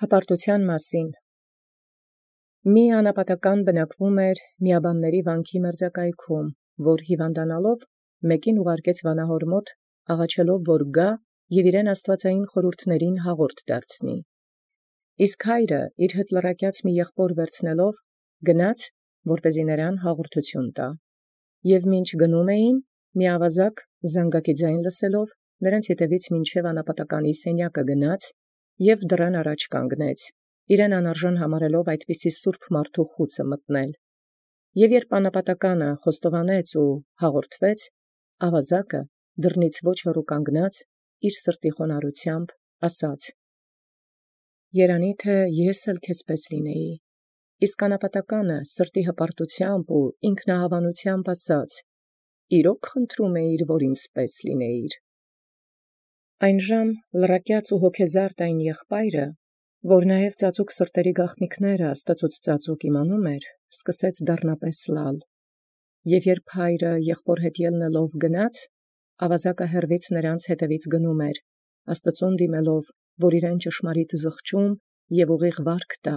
Հպարտութեան մասին։ Մի անապատական բնակվում միաբանների վանքի մերձակայքում, որ հիվանդանալով մեկին ուղարկեց վանահոր աղաչելով որ գա և իրեն աստուածային խորհուրդներին հաղորդ դարձնի։ Իսկ հայրը իր հետ լրակյաց մի եղբոր վերցնելով գնաց, որպեսզի նրան հաղորդութիւն տա։ Եւ մինչ գնում էին, մի ազգ զանգակի ձայն լսելով նրանց ետևից մինչև անապատականի սենյակը գնաց և դռան առաջ կանգնեց, իրեն անարժան համարելով այդպիսի սուրբ մարդու խուցը մտնել։ Եւ երբ անապատականը խոստովանեց ու հաղորդվեց, ազգը դռնից ոչ հեռու կանգնած իր սրտի խոնարհությամբ ասաց. «Երանի թե ես էլ քեզպէս լինեի»։ Իսկ անապատականը սրտի հպարտությամբ ու ինքնահավանությամբ ասաց. «Իրոք խնդրում էիր, որ ինձպէս լինեիր»։ Այնժամ լրակյաց ու հոգեզարդ այն եղբայրը, որ նաև ծածուկ սրտերի գաղտնիքները աստուծոց ծածուկ իմանում սկսեց դառնապես լալ։ Եւ երբ հայրը եղբոր հետ ելնելով գնաց, ազգը հեռվից նրանց հետևից գնում աստուծոյ դիմելով, որ իրեն ճշմարիտ զղջում և ուղիղ վարք տա,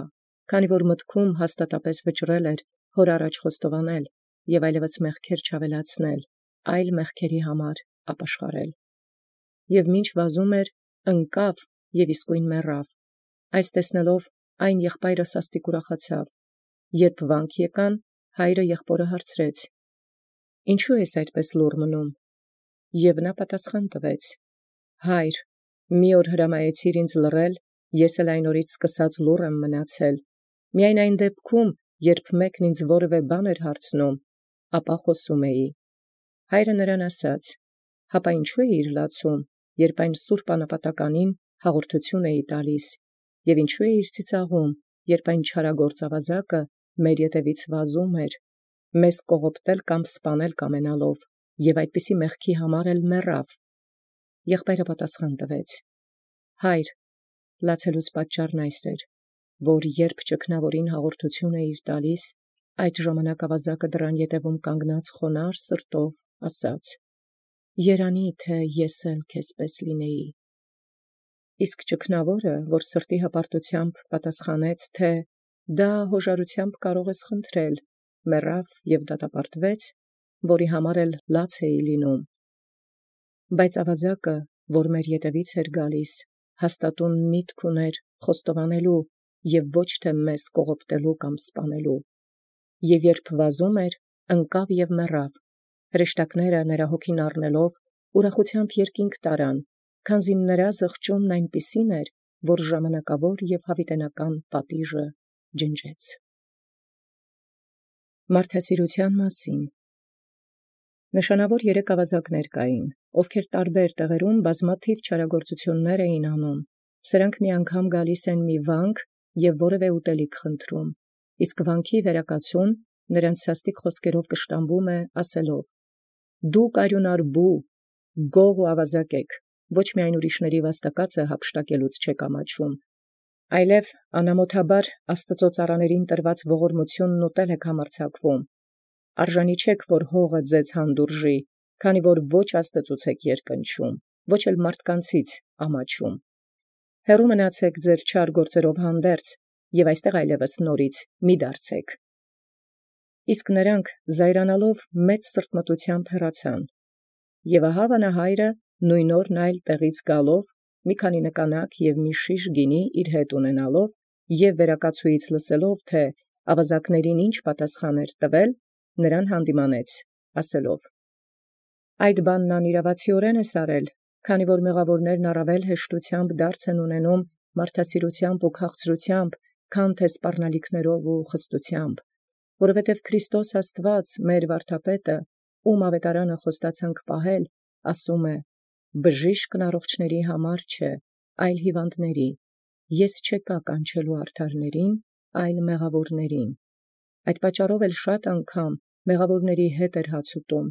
քանի որ մտքում հաստատապես վճռել հոր առաջ խոստովանել և այլևս մեղքեր չավելացնել, այլ մեղքերի համար ապաշխարել։ Եւ մինչ վազում ընկավ և իսկույն մեռավ։ Այս տեսնելով այն եղբայրը սաստիկ ուրախացավ։ Երբ վանք եկան, հայրը եղբորը հարցրեց. «Ինչու ես այդպես լուռ մնում»։ Եւ նա պատասխան տվեց. «Հայր, մի օր հրամայեցիր ինձ լռել, ես էլ այն օրից սկսած լուռ եմ մնացել. միայն այն դեպքում, երբ մեկն ինձ որևէ բան հարցնում, ապա խոսում էի»։ Հայրը նրան ասաց. «Հապա ինչու էիր լացում, երբ այն սուրբ անապատականին հաղորդութիւն էի տալիս, և ինչու էիր ծիծաղում, երբ այն չարագործ ազգը մեր ետևից վազում մեզ կողոպտել կամ սպանել կամենալով, և այդպիսի մեղքի համար էլ մեռավ»։ Եղբայրը պատասխան տվեց. «Հայր, լացելուս պատճառն այս էր, որ երբ ճգնաւորին հաղորդութիւն էիր տալիս, այդ ժամանակ ազգը դռան ետևում կանգնած խոնարհ սրտով ասաց. «Երանի թե ես էլ քեզպէս լինեի»։ Իսկ ճգնաւորը, որ սրտի հպարտությամբ պատասխանեց, թէ «Դա յօժարութեամբ կարող ես խնդրել», մեռավ և դատապարտվեց, որի համար էլ լաց էի լինում։ Բայց ազգը, որ մեր ետևից գալիս, հաստատուն միտք ունէր խոստովանելու և ոչ թե մեզ կողոպտելու կամ սպանելու։ Եւ երբ վազում ընկավ և մեռավ։ Հրեշտակները նրա հոգին առնելով ուրախութեամբ երկինք տարան, քանզի նրա զղջումն այնպիսին էր, որ ժամանակավոր և յաւիտենական պատիժը ջնջեց։ Մարդասիրութեան մասին։ Նշանաւոր 3 ազգներ կային, ովքեր տարբեր տեղերում բազմաթիւ չարագործութիւններ էին անում։ Սրանք մի անգամ գալիս են մի վանք և որևէ ուտելիք խնդրում, իսկ վանքի վերակացուն նրանց սաստիկ խոսքերով կշտամբում ասելով. «Դուք արիւնարբու, գող ու աւազակ էք, ոչ միայն ուրիշների վաստակածը յափշտակելուց չեք ամաչում, այլև անամոթաբար Աստուծոյ ծառաներին տրված ողորմութիւնն ուտել եք համարձակվում. արժանի չէք, որ հողը ձեզ հանդուրժի, քանի որ ոչ Աստուծուց եք երկնչում, ոչ էլ մարդկանցից ամաչում։ Հեռու մնացեք ձեր չար գործերով հանդերձ, և այստեղ այլևս նորից մի դարձեք»։ Իսկ նրանք զայրանալով մեծ սրտմտութեամբ հեռացան։ Եւ ահա վանահայրը նույն օրն այլ տեղից գալով մի քանի նկանակ և մի շիշ գինի իր հետ ունենալով և վերակացուից լսելով, թէ ազգաներին ինչ պատասխան տվել, նրան հանդիմանեց, ասելով. «Այդ բանն անիրաւացիորեն ես արել, քանի որ մեղաւորներն առաւել հեշտութեամբ դարձ են ունենում մարդասիրութեամբ ու քաղցրութեամբ, քան թե սպառնալիքներով ու խստութեամբ. որովհետև Քրիստոս Աստուած մեր վարդապետը, ում աւետարանը խոստացանք պահել, ասում է. «Բժիշկն առողջացնողացն համար չէ, այլ հիվանդացն. ես չեկա կանչելու արդարացն, այլ մեղաւորացն»։ Այդ պատճառով էլ շատ անգամ մեղաւորացն հետ հաց ուտում։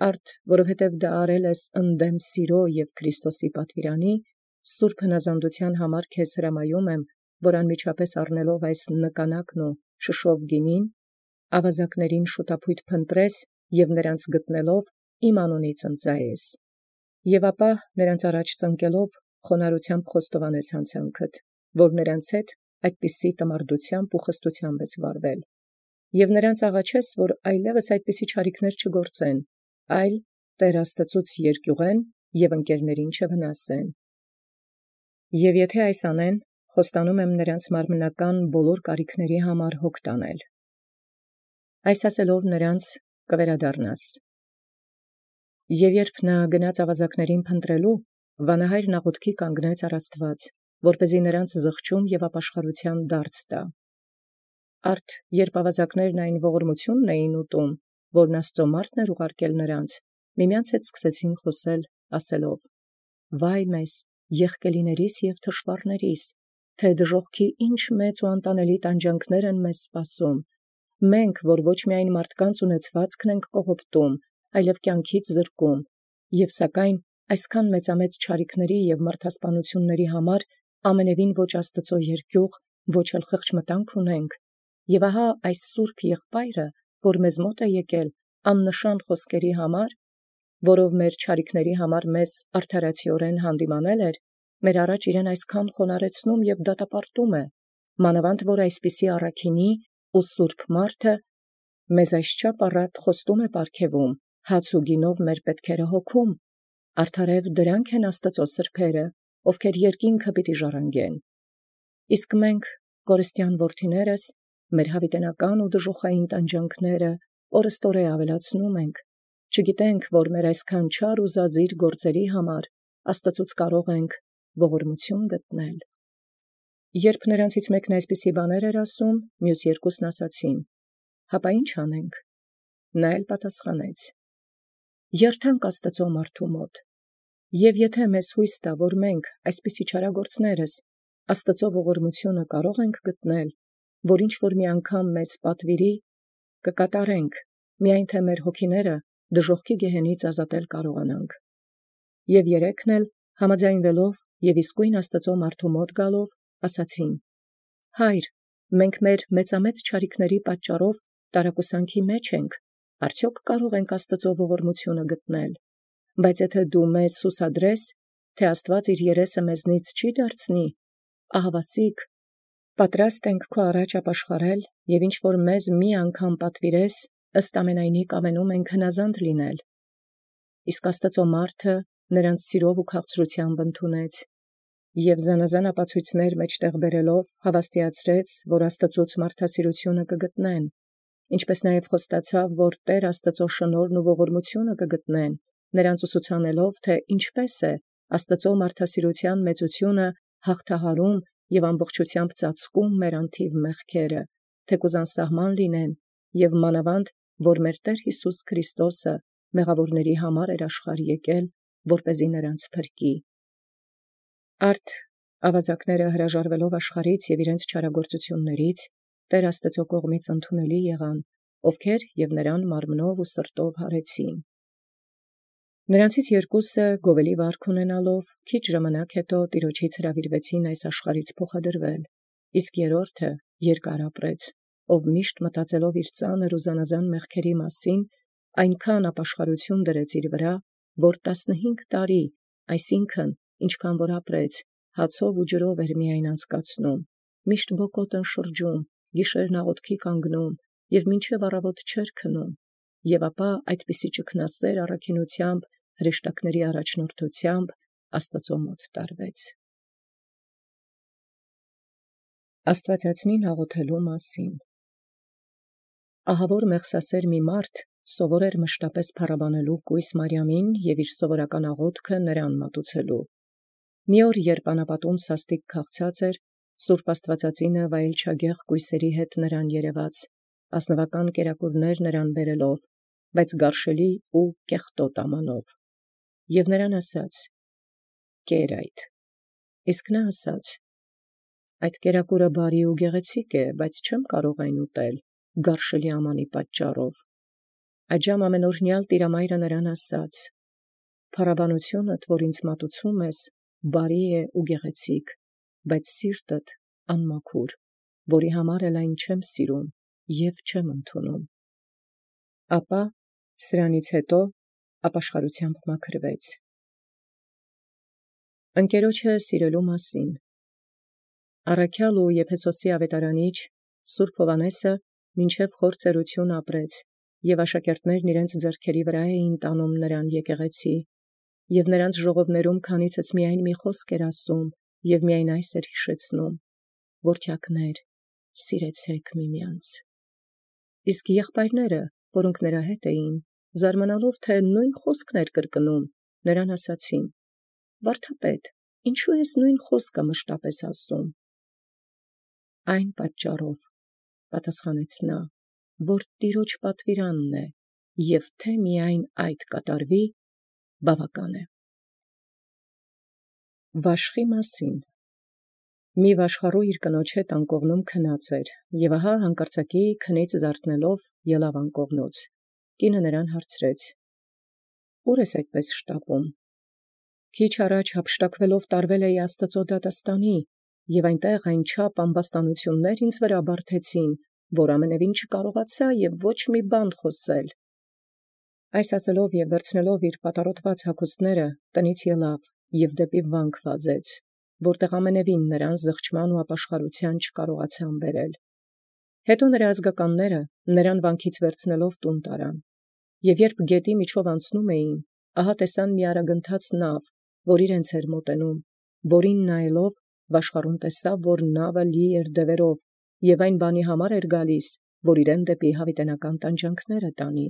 Արդ որովհետև դա արել ես ընդդեմ սիրո և Քրիստոսի պատուիրանի, սուրբ հնազանդութեան համար քեզ հրամայում եմ, որ անմիջապես առնելով այս նկանակն ու շշով գինին, ազգաց շուտապույտ փնտրես և նրանց գտնելով իմ անունից ընծայես։ Եւ ապա նրանց առաջ ծնկելով խոնարհությամբ խոստովանես յանցանքդ, որ նրանց հետ այդպիսի տմարդությամբ ու խստությամբ վարվել, եւ նրանց աղաչես, որ այլևս այդպիսի չարիքներ չգործեն, այլ Տեր Աստծուց երկյուղեն եւ ընկերներին չվնասեն։ Եվ եթե այս անեն, խոստանում եմ նրանց մարմնական բոլոր կարիքների համար հոգ տանել։ Այս ասելով նրանց կվերադառնաս։ Եվ երբ նա գնաց ավազակներին փնտրելու, վանահայրն աղոթքի կանգնեց առ Աստված, որպեսզի նրանց զղջում եւ ապաշխարության դարձ տա։ Արդ երբ ավազակներն այն ողորմությունն էին ուտում, որն Աստծո մարդն էր ուղարկել նրանց, միմյանց հետ սկսեցին խոսել, ասելով. «Վայ մեզ, եղկելիներիս եւ թշվառներիս, թե դժոխքի ինչ մեծ ու անտանելի տանջանքներ են մեզ սպասում։ Մենք, որ ոչ միայն մարդկանց ունեցվածքն ենք կողոպտում, այլև կյանքից զրկում, եւ սակայն այսքան մեծամեծ չարիքների եւ մարդասպանությունների համար ամենևին ոչ Աստծո երկյուղ, ոչ էլ խղճմտանք ունենք, եւ ահա այս սուրբ եղբայրը, որ մեզ մոտ է եկել աննշան խոսքերի համար, որով մեր չարիքների համար մեզ արդարացիորեն հանդիմանել էր, մեր առաջ իրեն այսքան խոնարեցնում եւ դատապարտում է, մանավանդ որ այսպիսի առաքինի ու սուրբ մարդը մեզ այսչափ առատ խոստում է պարգևում, հաց ու գինով մեր պետքերը հոգում, արդարև դրանք են Աստծո սրբերը, ովքեր երկինքը պիտի ժառանգեն։ Իսկ մենք, կորստյան որդիներս, մեր հավիտենական ու դժոխային տանջանքները օրըստօրե ավելացնում ենք, չգիտենք, որ մեր այսքան չար ու զազիր գործերի համար Աստծուց կարող ենք ողորմություն գտնել։ Երբ նրանցից մեկն այսպիսի բաներ էր ասում, մյուս երկուսն ասացին. «Հապա ի՞նչ անենք»։ Նա էլ պատասխանեց. «Երթանք Աստծո մարդու մոտ, եւ եթե մեզ հույս տա, որ մենք այսպիսի չարագործներս Աստծո ողորմությունը կարող ենք գտնել, որ ինչ որ մի անգամ մեզ պատվիրի, կկատարենք, միայն թե մեր հոգիները դժոխքի գեհենից ազատել կարողանանք»։ Եվ երեքն էլ համաձայնվելով եւ իսկույն Աստծո մարդու մոտ գալով, ասացին. «Հայր, մենք մեր մեծամեծ չարիքների պատճառով տարակուսանքի մեջ ենք, արդյոք կարող ենք Աստծո ողորմությունը գտնել, բայց եթե դու մեզ սուսադրես, թե Աստված իր երեսը մեզնից չի դարձնի, ահավասիկ, պատրաստ ենք քո առաջ ապաշխարել, եւ ինչ որ մեզ մի անգամ պատվիրես, ըստ ամենայնի կամենում ենք հնազանդ լինել։ Իսկ Աստծո մարդը նրանց սիրով ու քաղցրությամբ ընդունեց, եւ զանազան ապացույցներ մեջտեղ բերելով հավաստիացրեց, որ Աստծուց մարդասիրությունը կգտնեն, ինչպես նաև խոստացավ, որ Տեր Աստծո շնորհն ու ողորմությունը կգտնեն, նրանց ուսուցանելով, թե ինչպես է Աստծո մարդասիրության մեծությունը հաղթահարում եւ ամբողջությամբ ծածկում մեր անթիվ մեղքերը, թեկուզ անսահման լինեն, եւ մանավանդ, որ մեր Տեր Հիսուս Քրիստոսը մեղավորների համար էր աշխարհ եկել, որպեսզի նրանց փրկի։ Արդ ավազակները հրաժարվելով աշխարհից եւ իրենց չարագործություններից, Տեր Աստծո կողմից ընդունելի եղան, ովքեր եւ նրան մարմնով ու սրտով հարեցին։ Նրանցից երկուսը գովելի վարք ունենալով, քիչ ժամանակ հետո Տիրոջից հրավիրվեցին այս աշխարհից փոխադրվել, իսկ երրորդը երկար ապրեց, ով միշտ մտածելով իր ծանր ու զանազան մեղքերի մասին, այնքան ապաշխարություն դրեց իր վրա, որ 15 տարի, այսինքն ինչքան որ ապրեց, հացով ու ջրով էր միայն անցկացնում, միշտ բոկոտն շրջում, գիշերն աղոթքի կանգնում եւ մինչև առավոտ չէր քնում, եւ ապա այդպիսի ճգնասեր առաքինությամբ հրեշտակների առաջնորդությամբ Աստծո մոտ տարվեց։ Աստվածածնին աղոթելու մասին։ Ահավոր մեղսասեր մի մարդ սովոր էր մշտապես փառաբանելու կույս Մարիամին եւ իր սովորական աղոթքը նրան մատուցելու։ Մի օր, երբ անապատում սաստիկ քաղցած էր, Սուրբ Աստվածածինը վայելչագեղ կույսերի հետ նրան երևաց, ազնվական կերակուրներ նրան բերելով, բայց գարշելի ու կեղտոտ ամանով, եւ նրան ասաց. «Կեր այդ»։ Իսկ նա ասաց. «Այդ կերակուրը բարի ու գեղեցիկ է, բայց չեմ կարող այն ուտել գարշելի ամանի պատճառով»։ Այժմ ամենօրհնյալ Տիրամայրը նրան ասաց. «Փառաբանությունդ, որ ինձ մատուցում ես, բարի է ու գեղեցիկ, բայց սիրտդ անմաքուր, որի համար էլ այն չեմ սիրում եւ չեմ ընդունում»։ Ապա սրանից հետո ապաշխարությամբ մաքրվեց։ Ընկերոջը սիրելու մասին։ Առաքյալ ու Եփեսոսի ավետարանիչ Սուրբ Հովհաննեսը մինչև խորցերություն ապրեց, և աշակերտներն իրենց ձեռքերի վրա էին տանում նրան եկեղեցի, և նրանց ժողովներում քանիցս միայն մի խոսք էր ասում, և միայն այս էր հիշեցնում. «Որդյակներ, սիրեցեք միմյանց»։ Իսկ եղբայրները, որոնք նրա հետ էին, զարմանալով թե նույն խոսքն էր կրկնում, նրան ասացին. «Վարդապետ, ինչու ես նույն խոսքը մշտապես ասում»։ «Այն պատճառով, պատասխանեց նա, որ Տիրոջ պատվիրանն է, և թե միայն այդ կատարվի, բավական է»։ Վաշխի մասին։ Մի վաշխառու իր կնոջ հետ անկողնում քնած էր, և ահա հանկարծակի քնից զարթնելով ելավ անկողնոց. կինը նրան հարցրեց. «Ուր ես այդպես շտապում»։ Քիչ առաջ հափշտակվելով տարվել էի Աստուծո դատաստանի, և այնտեղ այնչափ ամբաստանություններ ինձ վրա բարդեցին, որ ամենևին չկարողացա և ոչ մի բան խոսել։ Այս ասելով և վերցնելով իր պատառոտված հագուստները, տնից ելավ և դեպի վանք վազեց, որտեղ ամենևին նրան զղջման ու ապաշխարության չկարողացան բերել։ Հետո նրա ազգականները նրան վանքից վերցնելով տուն տարան, և երբ գետի միջով անցնում էին, ահա տեսան մի արագընթաց նավ, որ իրենց էր մոտենում, որին նայելով վաշխառուն տեսավ, որ նավը լի էր դևերով, և այն բանի համար էր գալիս, որ իրեն դեպի հավիտենական տանջանքները տանի։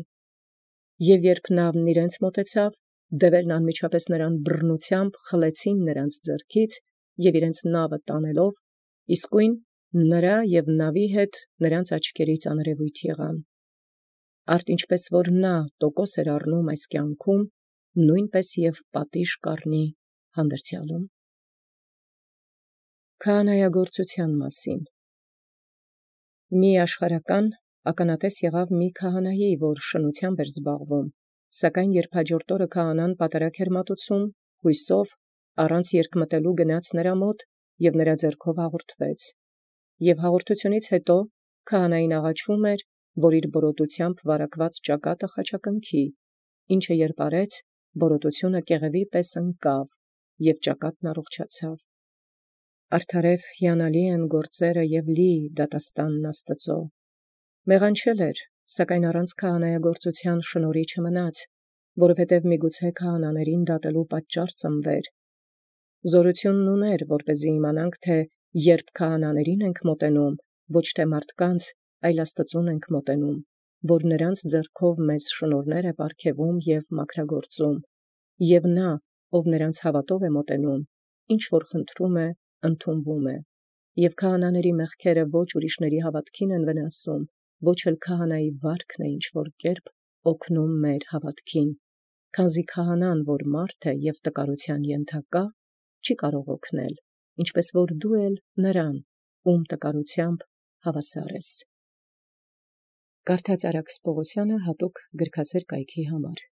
Եվ երբ նավն իրենց մոտեցավ, դևերն անմիջապես նրան բռնությամբ խլեցին նրանց ձեռքից և իրենց նավը տանելով, իսկույն նրա և նավի հետ նրանց աչքերից աներևույթ եղան։ Արդ ինչպես որ նա տոկոս էր առնում այս կյանքում, նույնպես և պատիժ կառնի հանդերձյալում։ Քահանայագործության մասին։ Մի աշխարհական ականատես եղավ մի քահանայի, որ շնությամբ էր զբաղվում, սակայն երբ հաջորդ օրը քահանան պատարագ էր մատուցում, հույսով առանց երկմտելու գնաց նրա մոտ և նրա ձեռքով հաղորդվեց։ Եվ հաղորդությունից հետո քահանային աղաչում էր, որ իր բորոտությամբ վարակված ճակատը խաչակնքի, ինչը երբ արեց, բորոտությունը կեղևի պես ընկավ, և ճակատն առողջացավ։ Արդարև հիանալի են գործերը և լի դատաստանն Աստծո։ Մեղանչել էր, սակայն առանց քահանայագործության շնորհի չմնաց, որովհետև միգուցե քահանաներին դատելու պատճառ ծնվեր։ Զորությունն ուներ, որպեսզի իմանանք, թե երբ քահանաներին ենք մոտենում, ոչ թե մարդկանց, այլ Աստծուն ենք մոտենում, որ նրանց ձեռքով մեզ շնորհներ է պարգևում և մաքրագործում, և նա, ով նրանց հավատով է մոտենում, ինչ որ խնդրում է, ընդունվում է, և քահանաների մեղքերը ոչ ուրիշների հավատքին են վնասում, ոչ էլ քահանայի վարքն է ինչ որ կերպ օգնում մեր հավատքին, քանզի քահանան, որ մարդ է և տկարության ենթակա, չի կարող օգնել, ինչպես որ դու էլ նրան, ում տկարությամբ հավասար ես։ Կարդաց Արաքս Պողոսյանը հատուկ գրքասեր կայքի համար։